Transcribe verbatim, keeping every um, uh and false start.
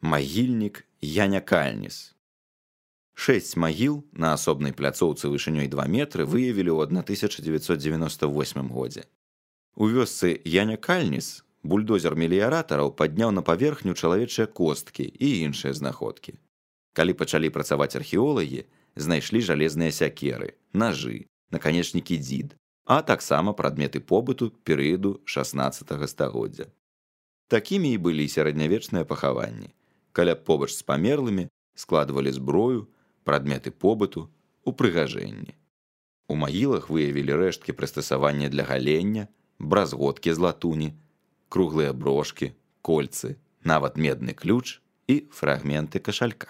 Магільнік Яня Кальніс. Шэсць магіл на асобнай пляцоўцы вышынёй два метры выявілі ў тысяча дзевяцьсот дзевяноста восьмым годзе. У вёсцы Яня Кальніс бульдозер меліяратараў падняў на паверхню чалавечыя косткі і іншыя знаходкі. Калі пачалі працаваць археолагі, знайшлі жалезныя сякеры, нажы, наканечнікі дзід, а таксама прадметы побыту перыяду шаснаццатага стагоддзя. Такімі і былі сярэднявечныя пахаванні. Каля побач з памерлымі складвалі зброю, прадметы побыту, упрыгажэнні. У магілах выявілі рэшткі прыстасавання для галення, бразготкі з латуні, круглыя брошкі, кольцы, нават медны ключ і фрагменты кашалька.